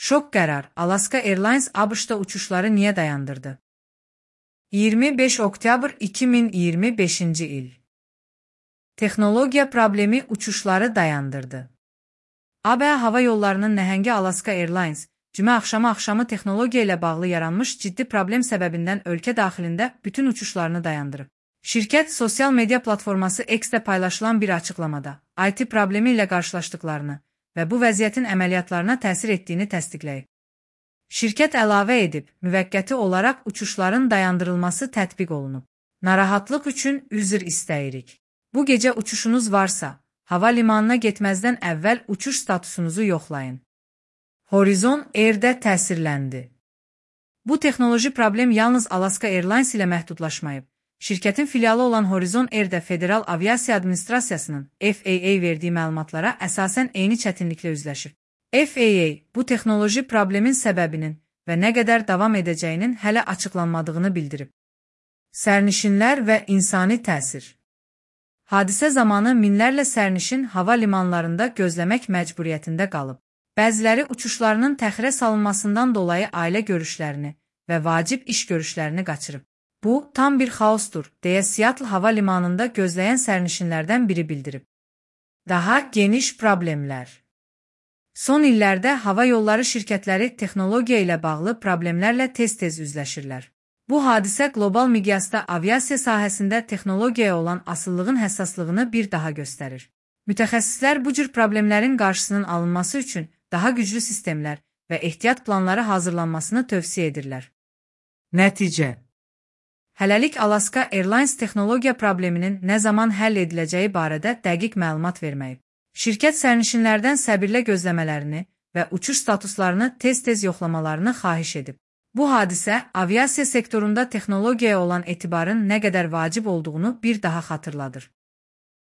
Şok qərar. Alaska Airlines ABŞ-da uçuşları niyə dayandırdı? 25 oktyabr 2025-ci il. Texnologiya problemi uçuşları dayandırdı. ABŞ hava yollarının nəhəngi Alaska Airlines, cümə axşamı texnologiya ilə bağlı yaranmış ciddi problem səbəbindən ölkə daxilində bütün uçuşlarını dayandırıb. Şirkət sosial media platforması X-də paylaşılan bir açıqlamada IT problemi ilə qarşılaşdıqlarını və bu vəziyyətin əməliyyatlarına təsir etdiyini təsdiqləyib. Şirkət əlavə edib, müvəqqəti olaraq uçuşların dayandırılması tətbiq olunub. Narahatlıq üçün üzr istəyirik. Bu gecə uçuşunuz varsa, hava limanına getməzdən əvvəl uçuş statusunuzu yoxlayın. Horizon Air-də təsirləndi. Bu texnoloji problem yalnız Alaska Airlines ilə məhdudlaşmayıb. Şirkətin filialı olan Horizon Air-də Federal Aviasiya Administrasiyasının FAA verdiyi məlumatlara əsasən eyni çətinliklə üzləşib. FAA bu texnoloji problemin səbəbinin və nə qədər davam edəcəyinin hələ açıqlanmadığını bildirib. Sərnişinlər və insani təsir. Hadisə zamanı minlərlə sərnişin hava limanlarında gözləmək məcburiyyətində qalıb. Bəziləri uçuşlarının təxirə salınmasından dolayı ailə görüşlərini və vacib iş görüşlərini qaçırıb. Bu, tam bir xaosdur, deyə Seattle hava limanında gözləyən sərnişinlərdən biri bildirib. Daha geniş problemlər. Son illərdə hava yolları şirkətləri texnologiya ilə bağlı problemlərlə tez-tez üzləşirlər. Bu hadisə qlobal miqyasda aviasiya sahəsində texnologiyaya olan asıllığın həssaslığını bir daha göstərir. Mütəxəssislər bu cür problemlərin qarşısının alınması üçün daha güclü sistemlər və ehtiyat planları hazırlanmasını tövsiyə edirlər. Nəticə. Hələlik Alaska Airlines texnologiya probleminin nə zaman həll ediləcəyi barədə dəqiq məlumat verməyib. Şirkət sərnişinlərdən səbirlə gözləmələrini və uçuş statuslarını tez-tez yoxlamalarını xahiş edib. Bu hadisə aviasiya sektorunda texnologiyaya olan etibarın nə qədər vacib olduğunu bir daha xatırladır.